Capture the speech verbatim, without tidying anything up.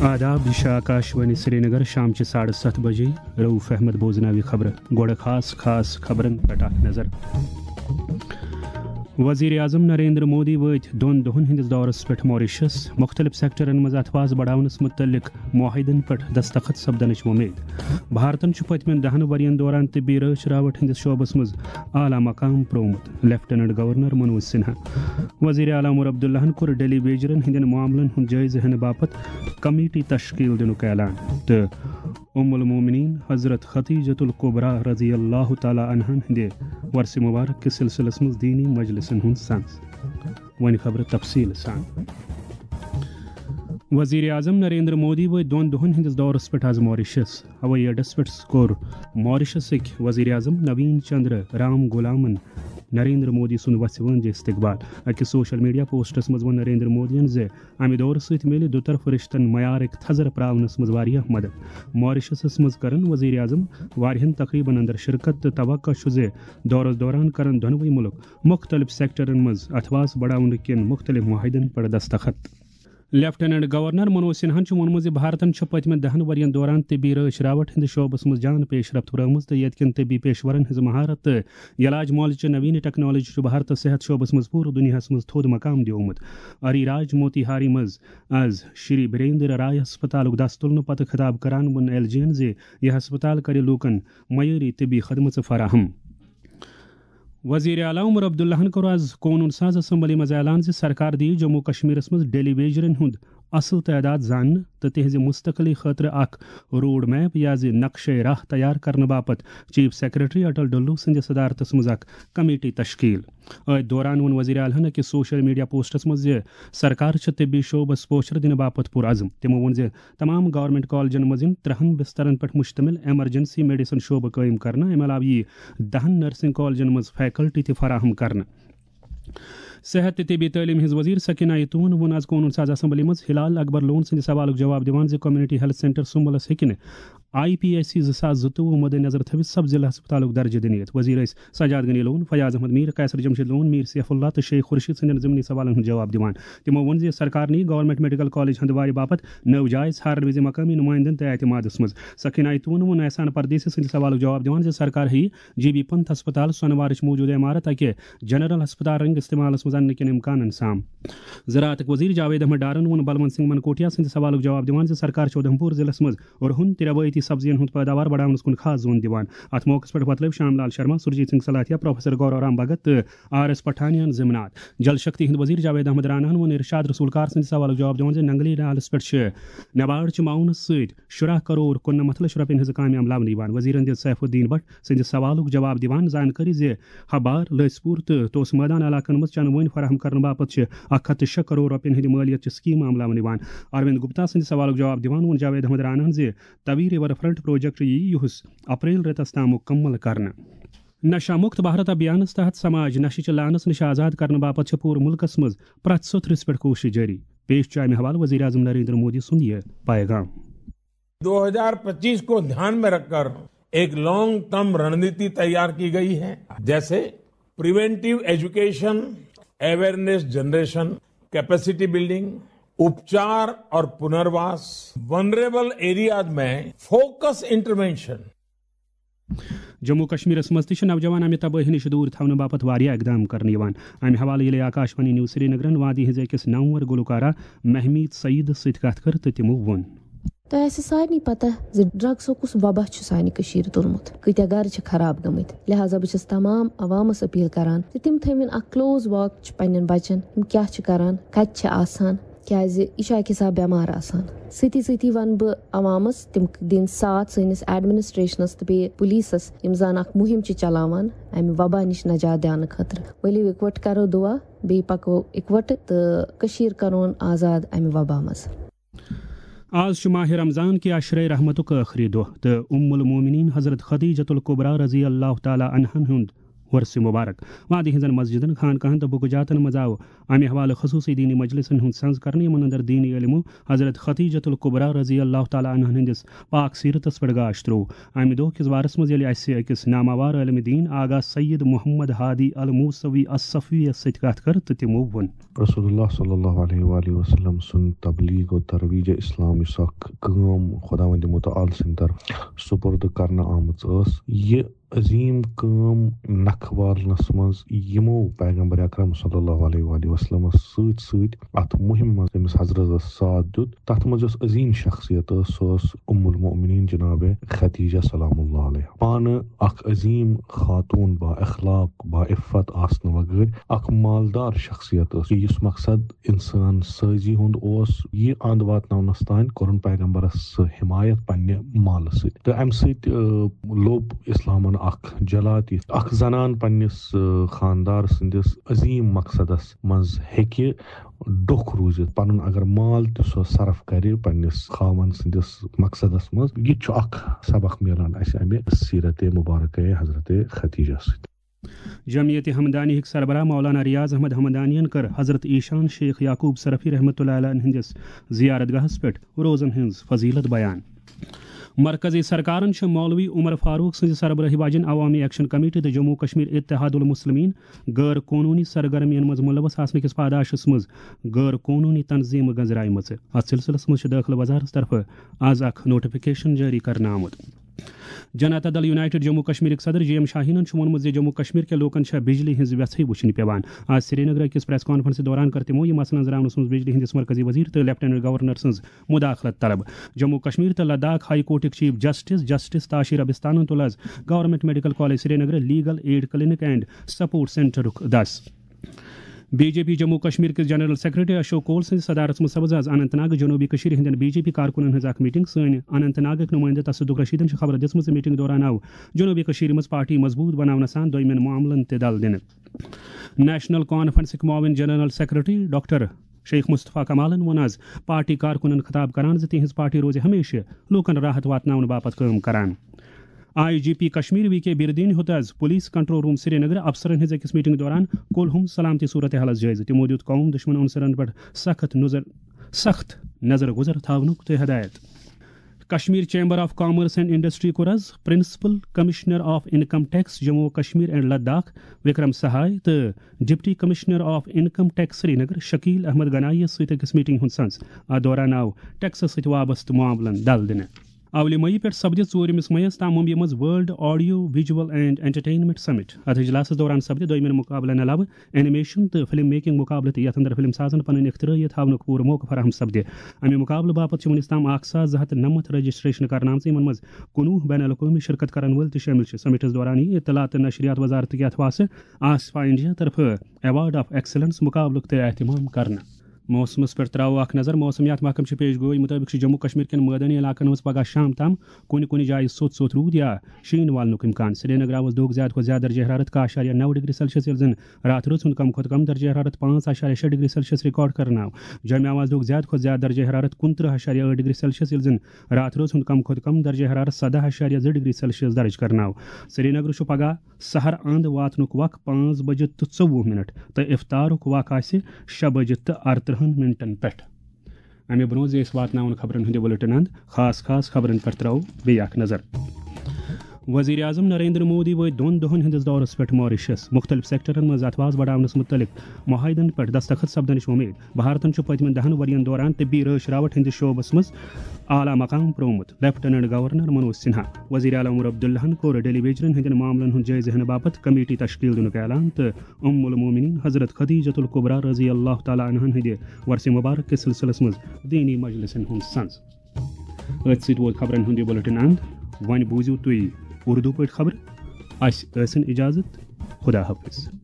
آداب، یہِ چھِ آکاشوانی سرینگر، شامچہِ ساڑٕ ستھ بجے۔ رؤف احمد بوزناوِ خبرٕ۔ گۄڈٕ خاص خاص خبرن پٮ۪ٹھ اکھ نظر۔ وزیر اعظم نریندر مودی وٲتۍ دۄن دۄہن ہٕنٛدِس دورس پٮ۪ٹھ ماریشس۔ مُختٔلِف سیکٹرن منٛز اتھواس بڑاونس مُتعلق معاہدن پٮ۪ٹھ دستخط سپدنٕچ وۄمید۔ بھارتن چھُ پٔتمٮ۪ن دَہن ؤرین دوران طبی رٲچھ راوٹھ ہٕنٛدِس شعبس منٛز اعلیٰ مقام پرٛوومُت، لیفٹیننٹ گورنر منوج سنہا۔ وزیر اعلیٰ عمر عبداللہن کوٚر ڈیلی ویجرن ہٕنٛدٮ۪ن معاملن ہُنٛد جٲیزٕ ہٮ۪نہٕ باپتھ کمیٹی تشکیل دِنُک اعلان تہٕ ام المومنین حضرت خدیجۃ الکبریٰ رضی اللہ تعالیٰ عنہن ہٕنٛدِ ورثِ مبارک کِس سلسلس منٛز دینی مجلسن ہُنٛد سنز۔ وۄنۍ خبرٕ تفصیٖل سان۔ وزیر اعظم نریندر مودی وٲتۍ دۄن دۄہن ہٕنٛدِس دورس پٮ۪ٹھ از ماریشس۔ ہوٲیی اڈس پٮ۪ٹھ کوٚر ماریشسٕکۍ وزیر اعظم نوین چندر رام گولامن نریندر مودی سُنٛد وژھِ وٲنٛجہِ استقبال۔ أکِس سوشل میڈیا پوسٹس منٛز ووٚن نریندر مودیَن زِ امہِ دورٕ سۭتۍ میلہِ دُطرفہٕ رشتن معیارٕکۍ تھزر پراونس منٛز واریاہ مدد۔ ماریشسس منٛز کرن وزیر اعظم واریاہن تقریبن اندر شرکت تہٕ توقع چھُ زِ دورس دوران کرن دۄنوٕے مُلک مُختٔلِف سیکٹرن منٛز اتھواس بڑاونہٕ کٮ۪ن مُختٔلِف معاہدن پٮ۪ٹھ دستخط۔ لیفٹیننٹ گورنر منوج سنہاہن چھُ ووٚنمُت زِ بھارتن چھُ پٔتمٮ۪ن دَہن ؤرین دوران طبی رٲچھ راوٹھ ہٕنٛدِس شعبس منٛز جان پیش رفت ہُرٲومٕژ تہٕ ییٚتہِ کٮ۪ن طبی پیشورن ہٕنٛز مہارت تہٕ علاج معالجٕچہِ نوین ٹیکنالوجی چھُ بھارتس صحت شعبس منٛز پوٗرٕ دُنیاہس منٛز تھوٚد مقام دیومُت۔ اری راج موتی ہاری منٛز از شری بیریندر رائے ہسپتالُک دس تُلنہٕ پتہٕ خطاب کران ووٚن ایل جی ین زِ یہِ ہسپتال کرِ لوٗکن معیٲری طبی خدمژٕ فراہم۔ وزیر اعلیٰ عمر عبداللہن کوٚر از قونوٗن ساز اسمبلی منٛز اعلان زِ سرکار دِیہِ جموں کشمیرس منٛز ڈیلی ویجرن ہُنٛد اصل تعداد زاننہٕ تہٕ تِہنٛزِ مستقلی خٲطرٕ اکھ روڈ میپ یا زِ نقشے راہ تیار کرنہٕ باپتھ چیف سیکرٹری اٹل ڈلو سٕنٛدِ صدارتس منٛز اکھ کمیٹی تشکیل۔ أتھۍ دوران ووٚن وزیر اعلیٰ ہن أکِس سوشل میڈیا پوسٹس منٛز زِ سرکار چھِ طبی شعبس پوچھر دِنہٕ باپتھ پُر عزم۔ تِمو ووٚن زِ تمام گورنمنٹ کالجن منٛز یِن ترٛہن بسترن پٮ۪ٹھ مشتمل ایمرجنسی میڈیسن شعبہٕ قٲیِم کرنہٕ۔ امہِ علاوٕ یِیہِ دَہن نرسنگ کالجن منٛز فیکلٹی تہِ فراہم کرنہٕ۔ صحت تہٕ طبی تعلیٖم ہٕنٛز وزیر سکینہ یتون ووٚن از قونوٗن ساز اسمبلی منٛز ہلال اکبر لون سٕنٛدِ سوالُک جواب دِوان زِ کمیونٹی ہیلتھ سینٹر سُمبلس ہیٚکہِ نہٕ آئی پی ایس سی زٕ ساس زٕتووُہ مدِ نظر تھٲوِتھ سب ضلع ہسپتالُک درجہٕ دِنہٕ یِتھ۔ وزیر ٲسۍ سجاد غنی لون، فیاض احمد میر، قیصر جمشید لون، میر سیف اللہ تہٕ شیخ خورشید سٕنٛدٮ۪ن ضمنی سوالن ہُنٛد جواب دِوان۔ تِمو ووٚن زِ سرکار نِیہِ گورنمنٹ میڈیکل کالج ہندوارِ باپتھ نٔو جاے ژھارن وِزِ مقٲمی نُمٲیندن تہٕ اعتمادس منٛز۔ سکینہ یتون ووٚن احسان پردیسی سٕنٛدِ سوالُک جواب دِوان زِ سرکار ہیٚیہِ جی بی پنت ہسپتال سونوارٕچ موٗجوٗدٕ عمارت اکہِ جنرل ہسپتال رنگہِ استعمالس منٛز اننہٕ کٮ۪ن امکانن سام۔ زراعتٕکۍ وزیر جاوید احمد ڈارن ووٚن بلونت سنگھ منکوٹیا سٕنٛدِ سوالُک جواب دِوان زِ سرکار چھِ اُدھمپور ضلعس منٛز رُہن تہٕ رٮ۪وٲیتی سبزین ہُنٛد پٲداوار بڑاونس کُن خاص زون دِوان۔ اتھ موقعس پٮ۪ٹھ وۄتلٲوۍ شام لال شرما، سرجیت سنگھ سلاتھیا، پروفیسر گورا رام بھگت تہٕ آر ایس پٹھانیان ضمنات۔ جل شکتی ہٕنٛدۍ وزیر جاوید احمد راناہن ووٚن ارشاد رسول کار سٕنٛدِ سوالُک جواب دِوان زِ ننگلی نالس پٮ۪ٹھ چھِ نباڑ چہِ معاونہٕ سۭتۍ شُراہ کرور کُننَمتھ لچھ رۄپین ہٕنٛزٕ کامہِ عملاونہٕ یِوان۔ وزیرن دِژ سیف الدین بٹ سٕنٛدِ سوالُک جواب دِوان زانکٲری زِ ہبار، لٔسۍ پوٗر تہٕ توسہٕ مٲدان علاقن منٛز چنہٕ وٲنۍ فراہم کرنہٕ باپتھ چھِ اکھ ہتھ تہٕ شےٚ کرور رۄپین ہٕنٛدِ مٲلیت چہِ سکیٖمہٕ عملاونہٕ یِوان۔ اروند گپتا سٕنٛدِ سوالُک جواب دِوان ووٚن جاوید احمد راناہن زِ توی ریور فرنٹ پروجیکٹ یِیہِ یُہُس اپریل رٮ۪تس تام مُکمل کرنہٕ۔ نشہ مکت بھارت ابھیانس تحت سماج نشہٕ چہِ لعنس نِش آزاد کرنہٕ باپتھ چھِ پوٗرٕ مُلکس منٛز پرٛٮ۪تھ سطرس پٮ۪ٹھ کوٗشش جٲری۔ پیش چھُ امہِ حوالہٕ وزیر اعظم نریندر مودی سُنٛد یہِ پیغام۔ दो हज़ार पच्चीस को ध्यान में रखकर एक लॉन्ग टर्म रणनीति तैयार की गई है, जैसे preventive education, awareness generation, capacity building, उपचार और पुनर्वास, वनरेबल एरियाज में फोकस इंटरवेंशन। جموں کشمیرس منٛز تہِ چھِ نوجوان امہِ تبٲہی نِش دوٗر تھاونہٕ باپتھ واریاہ اقدام کرنہٕ یِوان۔ امہِ حوالہٕ ییٚلہِ آکاشوانی نیوز سرینگرن وادی ہٕنٛزِ أکِس نامور گلوکارہ مہمیٖد سعیدس سۭتۍ کتھ کٔر تہٕ تِمو ووٚن۔ تۄہہِ آسہِ سارنٕے پتہ زِ ڈرگسُک کُس وبا چھُ سانہِ کٔشیٖرِ توٚرمُت، کۭتیاہ گرٕ چھِ خراب گٔمٕتۍ۔ لہذا بہٕ چھَس تمام عوامس اپیل کران زِ تِم تھٲوِن اکھ کلوز واچ پننٮ۪ن بچن، یِم کیاہ چھِ کران، کتہِ چھِ آسان، کیازِ یہِ چھُ اکہِ حساب بٮ۪مار آسان۔ سۭتی سۭتی ونہٕ بہٕ عوامس تِم دِن ساتھ سٲنِس ایڈمنسٹریشنس تہٕ بیٚیہِ پُلیٖسس، یِم زن اکھ مُہِم چھِ چلاوان امہِ وبا نِش نجات دِنہٕ خٲطرٕ۔ ؤلِو اِکوٹہٕ کرو دُعا، بیٚیہِ پکو اِکوٹہٕ تہٕ کٔشیٖر کرون آزاد امہِ وبا منٛز۔ آز چھُ ماہِ رمضان کہِ عشرے رحمتُک ٲخری دۄہ تہٕ ام المومنین حضرت خدیجۃ الکبریٰ رضی اللہ تعالیٰ عنہن ہُنٛد عرس مبارک۔ وادی ہٕنٛزن مسجدن، خانقاہن تہٕ بُکہٕ جاتن منٛز آو امہِ حوالہٕ خصوٗصی دینی مجلسن ہُنٛد سنز کرنہٕ، یِمن اندر دینی علمو حضرت خدیجۃ الکبریٰ رضی اللہ تعالیٰ عنہن ہٕنٛدِس پاک سیرتس پٮ۪ٹھ گاش تروو۔ امہِ دۄہ کِس بارس منٛز ییٚلہِ اسہِ أکِس ناماوار عٲلمِ دین آغا سید محمد ہادی الموسوی الصفویس سۭتۍ کتھ کٔر تہٕ تِمو ووٚن۔ رسول اللہ صلی اللہ علیہ وآلہ وسلم سُنٛد تبلیغ و ترویج اسلام، یُس اکھ کٲم خداوند متعال سٕنٛدِ طرفہٕ سپرد کرنہٕ آمٕژ ٲس، یہِ عظیٖم کٲم نکھٕ والنس منٛز یِمو پیغمبر اکرم صلی اللہ علیہ وآلہ وسلمس سۭتۍ سۭتۍ اتھ مُہِمہِ منٛز تٔمِس حضرتس ساتھ دیُت، تتھ منٛز یۄس عظیٖم شخصیت ٲس، سۄ ٲس ام المؤمنین جناب خدیجہ سلام اللہ علیہ۔ پانہٕ اکھ عظیٖم خاتون، با اخلاق، با عفت آسنہٕ وغٲر اکھ مالدار شخصیت ٲس، یُس مقصد انسان سٲزی ہُنٛد اوس، یہِ اند واتناونس تام کوٚرُن پیغمبرس سُہ حمایت پننہِ مالہٕ سۭتۍ۔ تہٕ امہِ سۭتۍ، آ، لوٚب اسلامن اکھ جلات، یہِ اکھ زنان پننِس، آ، خاندار سٕنٛدِس عظیٖم مقصدس منٛز ہیٚکہِ ڈوٚکھ روٗزِتھ، پنُن اگر مال تہِ سۄ صرف کرِ پننِس خاوند سٕنٛدِس مقصدس منٛز۔ یہِ تہِ چھُ اکھ سبق میلان اسہِ امہِ سیرت مبارکہ حضرت خدیجہ سۭتۍ۔ جمعیت ہمدانی ہٕکۍ سربراہ مولانا ریاض احمد ہمدانین کٔر حضرت ایشان شیخ یعقوب سرفی رحمۃ اللہ علیہ ہٕنٛدِس زیارت گاہس پٮ۪ٹھ روزن ہٕنٛز فضیلت بیان۔ مرکزی سرکارن چھِ مولوی عمر فاروق سٕنٛزِ سربرٲہی واجٮ۪ن عوامی ایکشن کمیٹی تہٕ جموں کشمیر اتحاد المسلمین غٲر قونوٗنی سرگرمین منٛز ملوث آسنہٕ کِس پاداشس منٛز غٲر قونوٗنی تنظیمہٕ گٔنٛزرایمژٕ۔ اتھ سلسلس منٛز چھِ دٲخلہٕ وزارتس طرفہٕ از اکھ نوٹیفکیشن جٲری کرنہٕ آمُت۔ جنتا دل یونائیٹڈ جموں کشمیرٕکۍ صدر جی ایم شاہینن چھُ ووٚنمُت زِ جموں کشمیر کٮ۪ن لوٗکن چھےٚ بجلی ہٕنٛز وٮ۪ژھٕے وٕچھنہِ پٮ۪وان۔ آز سرینگرٕ أکِس پریس کانفرنسہِ دوران کٔر تِمو یہِ مسلہٕ أنٛزراونس منٛز بجلی ہٕنٛدِس مرکزی وزیر تہٕ لیفٹیننٹ گورنر سٕنٛز مداخلت طلب۔ جموں کشمیر تہٕ لداخ ہائی کورٹٕکۍ چیف جسٹس جسٹس تاشی ربستانن تُل از گورنمنٹ میڈیکل کالج سرینگرٕ legal aid clinic and support سینٹرُک دس۔ B J P Jammu Kashmir کِس جنرل سیکرٹری اشوک کول سٕنٛدِ صدارتس منٛز سپٕز از اننت ناگ جنوبی کٔشیٖرِ ہٕنٛدٮ۪ن بی جے پی کارکُنن ہٕنٛز اکھ میٹنگ۔ سٲنۍ اننت ناگٕکۍ نُمٲیندٕ تصدق رشیدن چھِ خبر دِژمٕژ زِ میٹنگ دوران آو جنوبی کٔشیٖرِ منٛز پارٹی مضبوٗط بناونہٕ سان دویمٮ۪ن معاملن تہِ دل دِنہٕ۔ نیشنل کانفرنسٕکۍ معاون جنرل سیکرٹری ڈاکٹر شیخ مصطفیٰ کمالن ووٚن از پارٹی کارکُنن خطاب کران زِ تِہنٛز پارٹی روزِ ہمیشہِ لوٗکن راحت واتناونہٕ باپتھ کٲم کران۔ I G P Kashmir V K بردین ہیوٚت از پولیس کنٹرول روم سرینگرٕ افسرن ہٕنٛز أکِس میٹنگ دوران کُلہُم سلامتی صورتحالس جٲیزٕ۔ تِمو دیُت قوم دُشمن عنصرن پٮ۪ٹھ سخت نظر، سخت نظر گُزر تھاونُک تہِ ہدایت۔ Kashmir chamber of commerce and industry کوٚر از principal commissioner of income tax Jammu و کشمیر اینڈ لداخ وکرم سہاے تہٕ deputy commissioner of income tax Srinagar Shakeel Ahmad Ganai یس سۭتۍ أکِس میٹنگ ہُنٛد سنز۔ اتھ دوران آو ٹیکسس سۭتۍ وابستہٕ معاملن دل دِنہٕ۔ اولہِ مئی پٮ۪ٹھ سپدِ ژوٗرمِس مئیس تام ممبیہِ منٛز world audio visual and entertainment summit. اتھ اجلاسس دوران سپدِ دویمٮ۪ن مقابلن علاوٕ اینیمیشن تہٕ فلم میکنگ مقابلہٕ تہِ، یتھ اندر فلم سازن پنٕنۍ اختراعیت ہاونُک پوٗرٕ موقعہٕ فراہم سپدِ۔ امہِ مقابلہٕ باپتھ چھِ وُنیُس تام اکھ ساس زٕ ہتھ نمتھ رجسٹریشن کرنہٕ آمژٕ، یِمن منٛز کُنوُہ بین الاقوٲمی شرکت کرن وٲلۍ تہِ شٲمِل چھِ۔ سمٹس دوران یی اطلاعات تہٕ نشریات وزارتٕکۍ اتھواسہٕ آسفا انڈیا طرفہٕ ایوارڈ آف ایکسلنس مقابلُک تہِ اہتمام کرنہٕ۔ موسمس پٮ۪ٹھ ترٛاوو اکھ نظر۔ موسمیات محکمہٕ چھِ پیش گویی مُطٲبِق چھُ جموں کشمیر کٮ۪ن مٲدٲنی علاقن منٛز پگاہ شام تام کُنہِ کُنہِ جایہِ سوٚت سوٚت روٗد یا شیٖن والنُک امکان۔ سرینگرٕ آو از دۄہُک زیادٕ کھۄتہٕ زیادٕ درجہ حرارت کاہ اعشاریہ نو ڈگری سیلسیس، ییٚلہِ زن راتھ رٲژ ہُنٛد کم کھۄتہٕ کم درجہ حرارت پانٛژھ اعشاریہ شےٚ ڈگری سیلسیس ریکارڈ کرنہٕ آو۔ جوٚمہِ آو از دۄہُک زیادٕ کھۄتہٕ زیادٕ درجہ حرارت کُنترٕہ اعشاریہ ٲٹھ ڈگری سیلسیس، ییٚلہِ زن راتھ رٲژ ہُنٛد کم کھۄتہٕ کم درجہ حرارت سداہ اعشاریہ زٕ ڈگری سیلسیس درج کرنہٕ آو۔ سرینگرٕ چھُ پگاہ سحر اند واتنُک وق پانٛژھ بجہِ تہٕ ژوٚوُہ منٹ تہٕ افطارُک وق آسہِ شےٚ بجہِ تہٕ ارترٕہن منٹن پٮ۪ٹھ۔ امہِ برونٛہہ زِ أسۍ واتناوون خبرن ہُنٛد یہِ بُلٹن اند، خاص خاص خبرن پٮ۪ٹھ ترٛاوو بیٚیہِ اکھ نظر۔ وزیر اعظم نریندر مودی وٲتۍ دۄن دۄہن ہٕنٛدِس دورس پٮ۪ٹھ ماریشس۔ مُختٔلِف سیکٹرن منٛز اتھواس بڑاونس مُتعلق معاہدن پٮ۪ٹھ دستخط سپدنٕچ وۄمید۔ بھارتن چھُ پٔتمٮ۪ن دَہَن ؤرین دوران طبی رٲچھ راوٹھ ہٕنٛدِس شعبس منٛز اعلیٰ مقام پرٛوومُت۔ لیفٹیننٹ گورنر منوج سنہا، وزیر اعلیٰ عمر عبداللہن کوٚر ڈیلی ویجرن ہٕنٛدٮ۪ن معاملن ہُنٛد جٲیزٕ ہٮ۪نہٕ باپتھ کمیٹی تشکیل دِنُک اعلان تہٕ ام المومنین حضرت خدیجۃ الکبریٰ رضی اللہ تعالیٰ عنہن ہٕنٛدِ ورثہ مبارک کِس سلسلس منٛز دینی مجلسن ہُنٛد سنز۔ أتھۍ سۭتۍ ووت خبرن ہُنٛد یہِ بُلٹن اند۔ وۄنۍ بوٗزِو تُہۍ اردو پٲٹھۍ خبرٕ۔ اسہِ ٲسِن اجازت۔ خدا حافظ۔